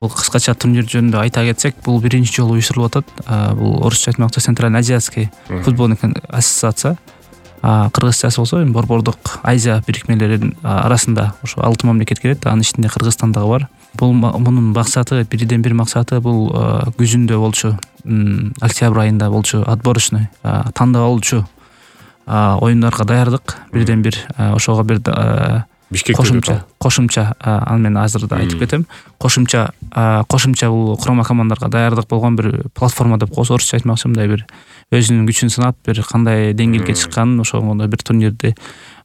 Бул кыскача турнир жөнүндө айта кетсек, бул биринчи жолу уюштурулуп атат. Бул орусча айтмакчы Центральноазиатский футбольный ассоциация. Кыргызчасы болсо борбордук Азия бирикмелеринин арасында ошо 6 мамлекет кирет. Анын ичинде Кыргызстан дагы бар. Мунун максаты, бирден бир максаты бул күзүндө болчу, октябрь айында болчу отборочный тандап алуучу оюндарга даярдык. Бирден бир ошого бир кошумча аны мен азыр да айтып кетем. Кошумча бул курама командаларга даярдык болгон бир платформа деп коебуз. Орусча айтмакчы, мындай бир өзүнүн күчүн сынап, бир кандай деңгээлге чыкканын, ошондой бир турнирди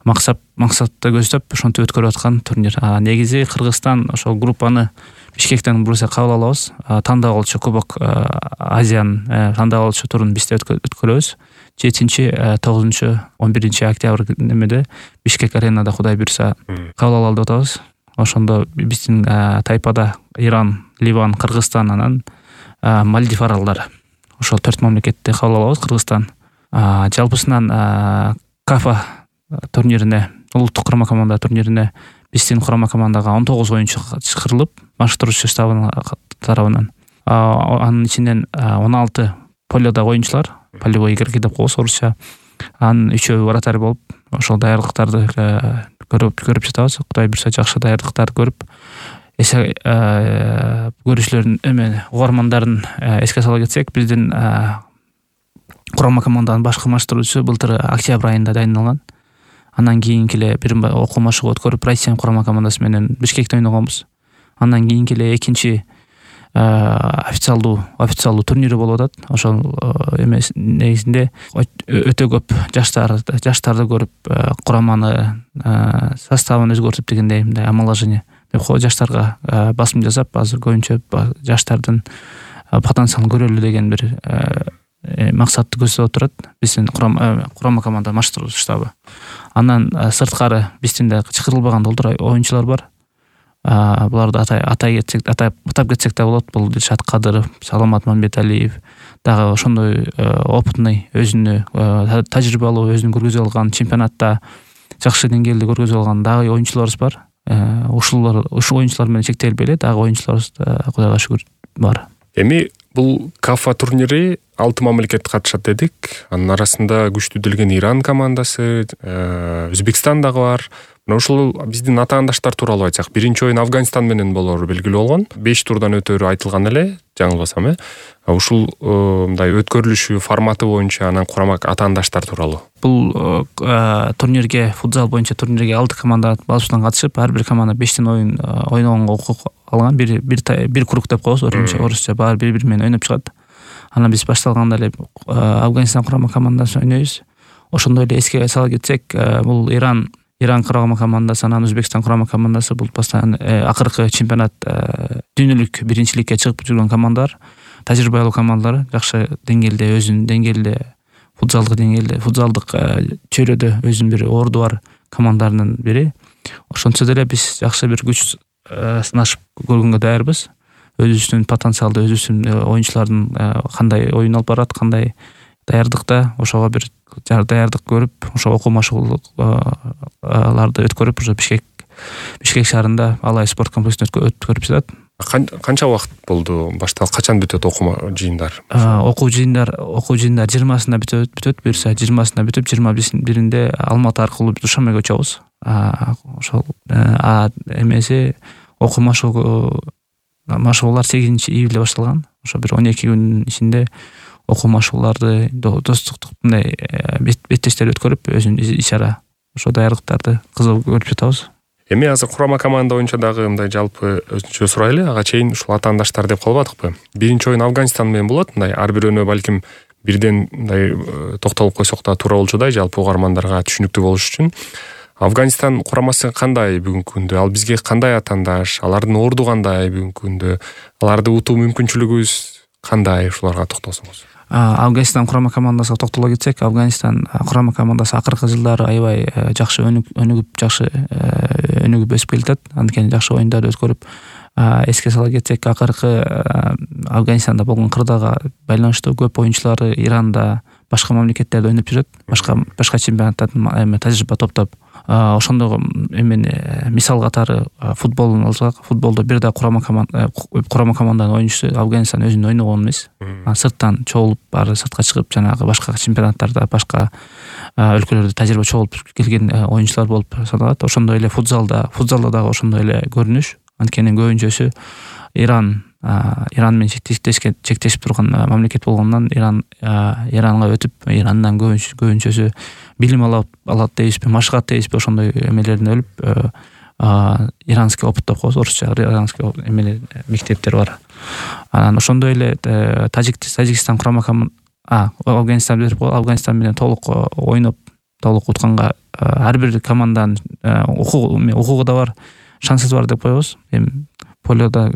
максатты көздөп ошентип өткөрүп аткан турнир. Негизи Кыргызстан ошол группаны Бишкектен буруса кабыл алабыз. Тандап алуучу Кубок Азиянын тандап алуучу турун бизде өткөрөбүз. 7-9-11 октябрь немеде Бишкек аренада Кудай буйруса кабыл ала алып атабыз. Ошондо биздин тайпада Иран, Ливан, Кыргызстан, анан Мальдив аралдары. Ошол 4 мамлекетти кабыл алабыз. Кыргызстан жалпысынан КАФА турнирине, улуттук курама команда турнирине биздин курама командага 19 оюнчу чакырылып, баштыруучу штабынын тарабынан. Анын ичинен 16 полёдо оюнчулар, полевой игроки деп коебуз орусча. Анын 3-өө вратарь болуп, ошол даярдыктарды көрүп жатабыз. Кудай буйруса жакшы даярдыктарды көрүп, көрүүчүлөрдүн угармандарын эске сала кетсек, биздин курама команданын башкы баштыруучусу былтыр октябрь айында дайындалган. Андан кийинки эле бир окуу машыгуу өткөрүп, Россия курама командасы менен Бишкекте ойногонбуз. Андан кийинки эле экинчи официалдуу турнири болуп атат. Ошол негизинде өтө көп жаштарды көрүп, кураманы составын өзгөртүп дегендей мындай омоложение деп коебуз. Жаштарга басым жасап, азыр көбүнчө жаштардын потенциалын көрөлү деген бир максатты көздөп турат биздин курама команда баштыруучу штабы. Андан сырткары биздин да чакырылбаган долдур оюнчулар бар. Буларды атап кетсек да болот. Бул Дилшат Кадыров, Саламат Мамбеталиев, дагы ошондой опытный, өзүнө тажрыйбалуу, өзүнүн көргөзүп алган чемпионатта жакшы деңгээлде көргөзүп алган дагы оюнчуларыбыз бар. Ушул оюнчулар менен чектелбей эле, дагы оюнчуларыбыз Кудайга шүгүр бар. Эми бул КАФА турнири 6 мамлекет катышат дедик. Анын арасында күчтүү Иран командасы, Өзбекстан дагы бар. Ушул биздин атаандаштар тууралуу айтсак, биринчи оюн Афганистан менен болору белгилүү болгон. 5 турдан өтөрү айтылган эле, жаңылбасам. Ушул мындай өткөрүлүшү форматы боюнча анан курама атаандаштар тууралуу. Бул турнирге, футзал боюнча турнирге 6 команда басуштан катышып, ар бир команда 5тен оюн ойногонго укук алган. Бир круг деп коебуз, орусча баары бири менен ойноп чыгат. Анан биз башталганда эле Афганистан курама командасы ойнойбуз. Ошондой эле эске сала кетсек, бул Иран курама командасы, анан Өзбекстан курама командасы бул постоянно акыркы чемпионат дүйнөлүк биринчиликке чыгып жүргөн командалар, тажрыйбалуу командалар, жакшы деңгээлде, өзүнүн деңгээлде, футзалдык чөйрөдө өзүнүн бир орду бар командалардын бири. Ошончо деле биз жакшы бир күч сынашып көргөнгө даярбыз. Өзүбүздүн потенциалды, өзүбүздүн оюнчулардын кандай ойун алып барат, кандай даярдыкта, ошого бир даярдык көрүп, ошо окуу машыгууларды өткөрүп, ошо Бишкек шаарында Алай спорт комплексинде өткөрүп жатат. Канча убакыт болду башталып, качан бүтөт окуу жыйындар? Окуу жыйындар 20-сында бүтөт, буюрса 20-сында бүтүп, 21-inde Алматы аркылуу Душанбеге учабыз. Ошол эмеси окуу машыгуулар 8-июльдө башталган. Ошо бир 12 күнүн ичинде окуу машыгууларды, достуктук мындай беттештер өткөрүп, өзүнүн иш-чара ошо даярдыктарды кызык көрүп жатабыз. Эми азыр курама команда боюнча дагы мындай жалпы өзүнчө сурайлы, ага чейин ушул атаандаштар деп калбадыкпы? Биринчи оюн Афганистан менен болот, мындай ар бирөөнө балким бирден мындай токтолуп койсок да туура болчудай, жалпы угармандарга түшүнүктүү болуш үчүн. Афганистан курамасы кандай бүгүнкү күндө? Ал бизге кандай атаандаш? Алардын орду кандай бүгүнкү күндө? Аларды утуу мүмкүнчүлүгүбүз кандай? Ушуларга токтолсоңуз. Афганистан курама командасына токтоло кетсек, Афганистан курама командасы акыркы жылдары аябай жакшы өнүгүп өсүп келатат. Анткени жакшы оюндарды өткөрүп, эске сала кетсек, акыркы Афганистанда болгон кырдаага байланыштуу көп оюнчулары Иранда, башка мамлекеттерде ойноп жүрөт, башка чемпионаттардын тажрыйба топтоп. Ошондо эмени мисал катары футболун алсак, футболдо бир да курама команданын оюнчусу Афганистан өзүнүн ойногон эмес. Сырттан чогулуп, баары сыртка чыгып, жанагы башка чемпионаттарда, башка өлкөлөрдө тажрыйба чогулуп келген оюнчулар болуп саналат. Ошондой эле футзалда дагы ошондой эле көрүнүш. Анткени көбүнчөсү Иран менен чектешип турган мамлекет болгондон Иранга өтүп, Ирандан көбүнчөсү билим алат дейбизби, машыгат дейбизби, ошондой эмелердин өлүп, иранский опыт деп коебуз, орусча иранский мектептер бар. Анан ошондой эле Тажикстан курама Афганистан берип коебуз. Афганистан менен толук ойноп, толук утканга ар бир команданын укугу да бар, шансы бар деп коебуз. Эми полёдо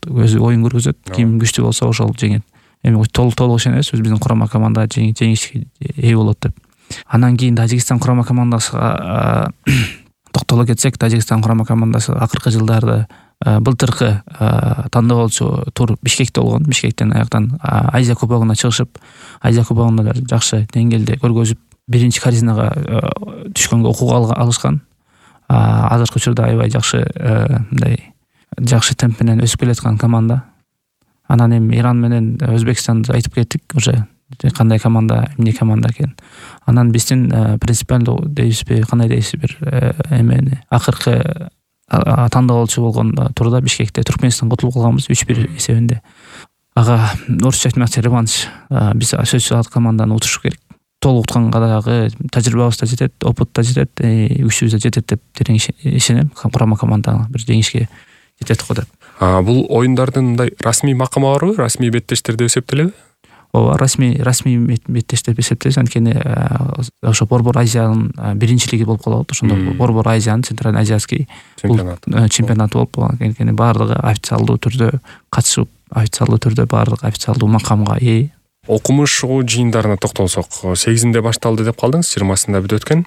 өзү оюн көргөзөт, ким күчтүү болсо ошол жеңет. Эми толук ишенебиз, биздин курама команда жеңишке ээ болот деп. Анан кийин Тажикстан курама командасына токтоло кетсек, Тажикстан курама командасы акыркы жылдарда былтыркы тандоолчу тур Бишкекте болгон. Бишкектен аяктан Азия кубогуна чыгышып, Азия кубогунда жакшы деңгээлде көргөзүп, биринчи корзинага түшкөнгө укук алышкан. Азыркы учурда аябай жакшы мындай жакшы темп менен өсүп келаткан команда. Анан эми Иран менен Өзбекстанды айтып кеттик, уже кандай команда, эмне команда экен. Анан биздин принципиалдуу дейбизби, кандай дейсиз, бир эмени акыркы тандоолчу болгон турда Бишкекте Түркменистанга утулуп калганбыз 3-1 эсебинде. Ага орусча айтмакчы реванш. Биз сөзсүз ал команданы утуш керек. Толук утканга дагы тажрыйбабыз да жетет, опыт да жетет, күчүбүз да жетет деп терең ишенем. Курама команданы бир жеңишке жетет го деп. Бул оюндардын мындай расмий макамы барбы? Расмий беттештер деп эсептелеби? Ооба, расмий беттештер деп эсептейбиз. Анткени ошо Борбор Азиянын биринчилиги болуп калат. Ошондо Борбор Азиянын Центральный Азиатский чемпионаты болуп калган. Анткени баардыгы официалдуу түрдө катышып, официалдуу түрдө баардык официалдуу макамга ээ. Окумуш жыйындарына токтолсок, 8-inde башталды деп калдыңыз, 20-сында бүт өткөн.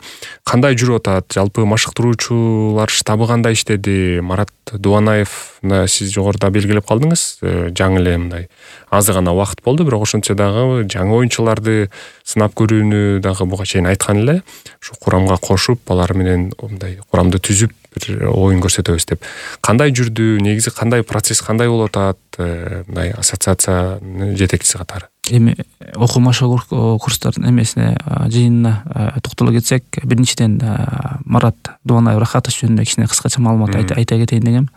Кандай жүрүп атат? Жалпы машыктыруучулар штабы кандай иштеди? Марат Дубанаевна сиз жогоруда белгилеп калдыңыз. Жаңы эле мындай азы гана убакыт болду, бирок ошончо дагы жаңы оюнчуларды сынап көрүүнү дагы буга чейин айткан эле. Ушу курамга кошуп, алар менен мындай курамды түзүп бир оюн көрсөтөбүз деп. Кандай жүрдү? Негизи кандай процесс, кандай болуп атат? Мындай ассоциациянын жетекчиси катары. Эми окуу-машыгуу курстардын эмесине жыйынына токтоло кетсек, биринчиден Марат Дубанаев Рахатович жөнүндө кичине кыскача маалымат айта кетейин дегем.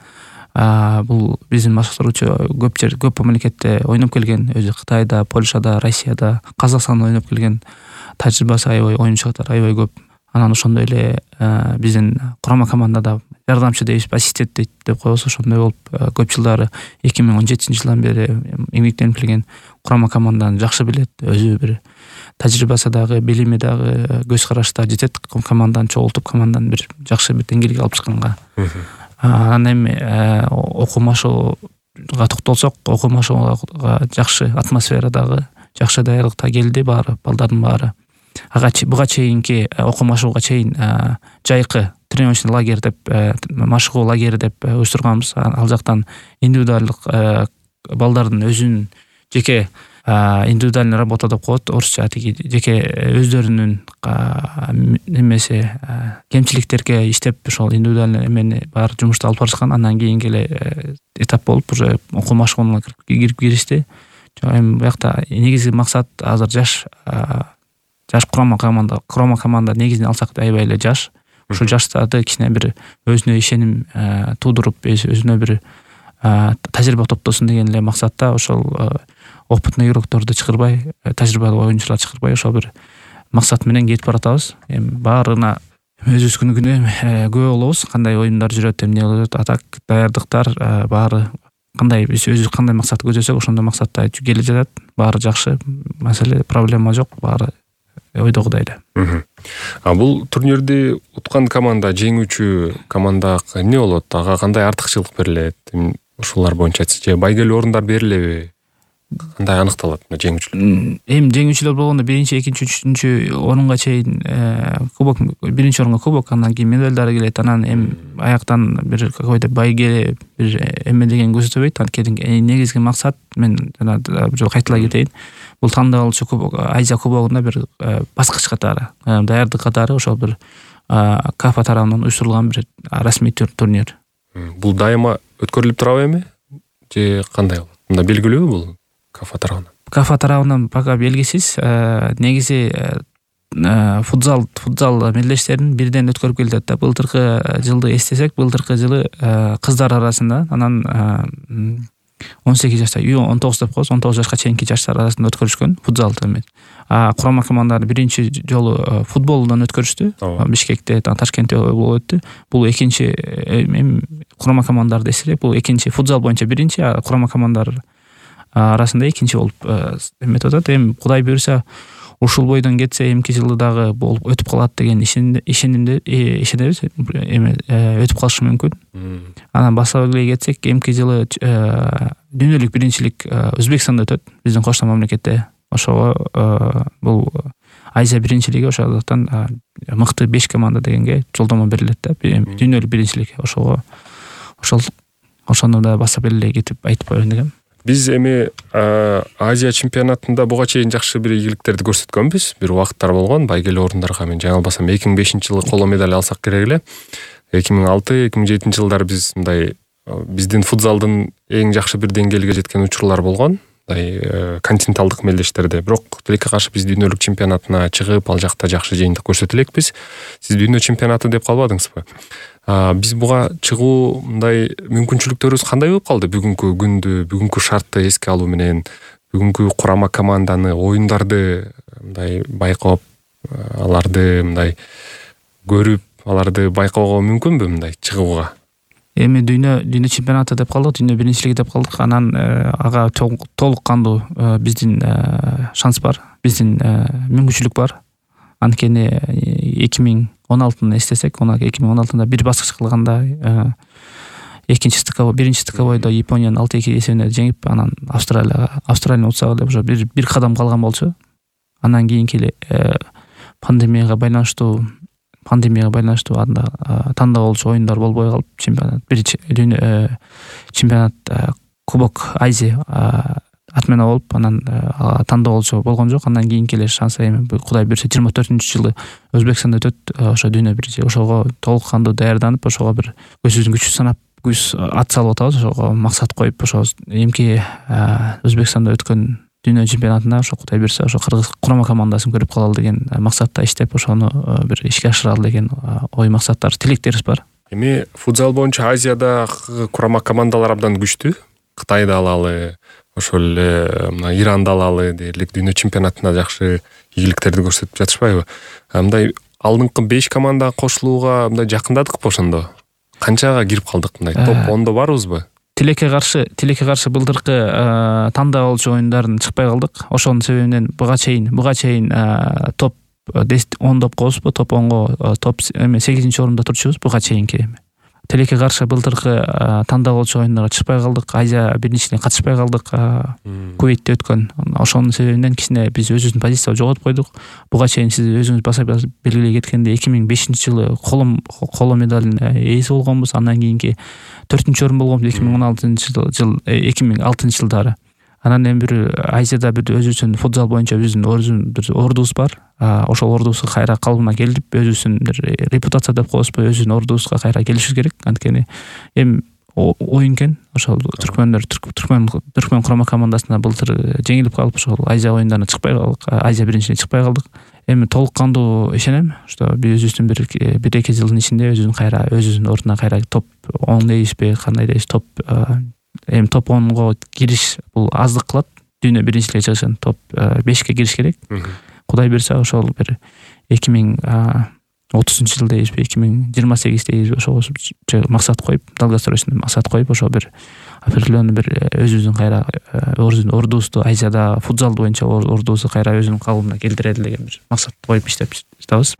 Бул биздин машыктыруучу көп мамлекетте ойноп келген, өзү Кытайда, Польшада, Россияда, Казакстанда ойноп келген, тажрыйбасы аябай, оюнчу катары аябай көп. Анан ошондой эле биздин курама командада жардамчы дейбиз, ассистент деп коебуз. Ошондой болуп көп жылдары 2017-жылдан бери эмгектенип келген, курама команданы жакшы билет, өзү бир тажрыйбасы дагы, билими дагы, көз карашы да жетет. Команданы чогултуп, команданы бир жакшы бир деңгээлге алып чыкканга. Анан эми окуу-машыгууга токтолсок, окуу-машыгууга жакшы атмосфера дагы, жакшы даярдыкта келди баары, балдардын баары. Буга чейинки окуу-машыгууга чейин жайкы тренировочный лагерь деп, машыгуу лагери деп уюштурганбыз. Ал жактан индивидуалдык балдардын өзүнүн жеке индивидуальный работа деп коет, орусча жеке өздөрүнүн немеси кемчиликтерге иштеп, ошол индивидуальный эмени бар жумушту алып барышкан. Андан кийинки эле этап болуп уже окуу-машыгууга киришти. Эми буякта негизги максат азыр жаш курама команда негизинен алсак аябай эле жаш. Ушул жаштарды кичине бир өзүнө ишеним туудуруп, өзүнө бир тажрыйба топтосун деген эле максатта ошол опытный игрокторду чакырбай, тажрыйбалуу оюнчулар чакырбай, ошол бир максат менен кетип баратабыз. Эми баарына өзүбүз күнү күбө болобуз, кандай оюндар жүрөт, эмне болот, атак, даярдыктар баары кандай, биз өзүбүз кандай максатты көздөсөк, ошондой максатта келе жатат. Баары жакшы, маселе, проблема жок, баары ойдогудай эле. Бул турнирди уткан команда, жеңүүчү команда эмне болот? Ага кандай артыкчылык берилет? Ушулар боюнча же байгелүү орундар берилеби? кандай аныкталат жеңүүчүлөр? Эми жеңүүчүлөр болгондо биринчи, экинчи, үчүнчү орунга чейин кубок, биринчи орунга кубок, андан кийин медалдар келет. Анан эми аяктан бир какой-то байге бир эме деген көрсөтөбөйт. Анткени негизги максат, мен жана бир жолу кайталай кетейин, бул тандалуучу кубок, Азия кубогунда бир баскыч катары, даярдык катары ошол бир КАФА тарабынан уюштурулган бир расмий турнир. Бул дайыма өткөрүлүп турабы эми же кандай болот? Мында белгилүүбү бул КАФА тарабынан? КАФА тарабынан пока белгисиз. Негизи футзал мелдештерин бирден өткөрүп келет да. Былтыркы жылды эстесек, былтыркы жылы кыздар арасында анан 18 жашта, 19 деп коебуз, 19 жашка чейинки жаштар арасында өткөрүшкөн футзалды эме. Курама командалар биринчи жолу футболдон өткөрүштү. Бишкекте, Ташкентте болуп өттү. Бул экинчи, курама командаларды эсерек, бул экинчи, футзал боюнча биринчи, курама командалар арасында экинчи болуп эметип атат. Эми Кудай буйруса ушул бойдон кетсе, эмки жылы дагы болуп өтүп калат деген ишенебиз. Эми өтүп калышы мүмкүн. Анан баштап эле кетсек, эмки жылы дүйнөлүк биринчилик Өзбекстанда өтөт, биздин коштон мамлекетте. Ошого бул Азия биринчилиги, ошондуктан мыкты 5 команда дегенге жолдомо берилет да, дүйнөлүк биринчилик. Ошону да баштап эле кетип айтып коеюн дегем. Биз эми Азия чемпионатында буга чейин жакшы бир ийгиликтерди көрсөткөнбүз. Бир убакыттар болгон, байгелүү орундарга мен жаңылбасам 2005-жылы коло медаль алсак керек эле. 2006-2007 жылдары биз мындай биздин футзалдын эң жакшы бир деңгээлге жеткен учурлар болгон. Континенталдык мелдештерде. Бирок тилекке каршы биз дүйнөлүк чемпионатына чыгып, ал жакта жакшы жыйынтык көрсөтө элекпиз. Сиз дүйнө чемпионаты деп калбадыңызбы? Биз буга чыгуу мындай мүмкүнчүлүктөрүбүз кандай болуп калды? Бүгүнкү күндү, бүгүнкү шартты эске алуу менен, бүгүнкү курама команданы, оюндарды мындай байкоп, аларды мындай көрүп, аларды байкоого мүмкүнбү мындай чыгууга? Эми дүйнө чемпионаты деп калдык, дүйнө биринчилиги деп калдык. Анан ага толук кандуу биздин шанс бар, биздин мүмкүнчүлүк бар. Анткени 2016-ны эстесек, 2016-да бир баскыч кылганда биринчи стыковойдо Японияны 6-2 эсебинде жеңип, анан Австралияны утсак эле уже бир кадам калган болчу. Андан кийинки эле пандемияга байланыштуу анда тандалуучу оюндар болбой калып, чемпионат Кубок Азия атмена болуп, анан тандалуучу болгон жок. Андан кийинки эле шанс эми Кудай буйруса 24-жылы Өзбекстанда өтөт, ошо дүйнө биринчи. Ошого толук кандуу даярданып, ошого бир көзүбүздүн күчү санап, ат салып атабыз. Ошого максат коюп, ошо эмки Өзбекстанда өткөн дүйнө чемпионатында ошо Кудай буйруса ошо кыргыз курама командасын көрүп калалы деген максатта иштеп, ошону бир ишке ашыралы деген ой максаттар, тилектерибиз бар. Эми футзал боюнча Азиядагы курама командалар абдан күчтүү. Кытайды алалы, ошол эле мына Иранды алалы дээрлик дүйнө чемпионатында жакшы ийгиликтерди көрсөтүп жатышпайбы? Мындай алдыңкы 5 командага кошулууга мындай жакындадыкпы ошондо? Канчага кирип калдык мындай? Топ 10до барбызбы? Тилекке каршы былтыркы тандалуучу оюндарын чыкпай калдык. Ошонун себебинен буга чейин топ 10 деп коебузбу? Топ 10го, топ 8-чи орунда турчубуз буга чейинки. Тилекке каршы былтыркы тандалуучу оюндарга чыкпай калдык. Азия биринчилигине катышпай калдык. Кувейтте өткөн. Ошонун себебинен кичине биз өзүбүздүн позициябызды жоготуп койдук. Буга чейин сиз өзүңүз басып белгилей кеткендей 2005-жылы коло медалдын ээси болгонбуз. Андан кийинки 4-орун болгонбуз 2006-жылдары. Анан эми бир Азияда бир өзүбүздүн футзал боюнча биздин бир ордубуз бар. Ошол ордубузду кайра калыбына келтирип, өзүбүздүн бир репутация деп коебузбу, өзүбүздүн ордубузга кайра келишибиз керек. Анткени эми оюн экен. Ошол түркмөн курама командасына былтыр жеңилип калып, ошол Азия оюндарына чыкпай калдык, Азия биринчилигине чыкпай калдык. Эми толук кандуу ишенем, что биз өзүбүздүн бир эки жылдын ичинде өзүбүздүн ордуна кайра топ 10 дейбизби, кандай дейбиз, топ 10го кириш бул аздык кылат. Дүйнө биринчилиге чыгышын топ 5ке кириш керек. Кудай берсе ошол бир 2030-жыл дейбизби, 2028 дейбизби, ошого максат коюп, долгосрочный максат коюп, ошо бир определенный бир өзүбүздүн кайра ордубузду, Азияда футзал боюнча ордубузду кайра өзүнүн калыбына келтирели деген бир максат коюп иштеп жатабыз.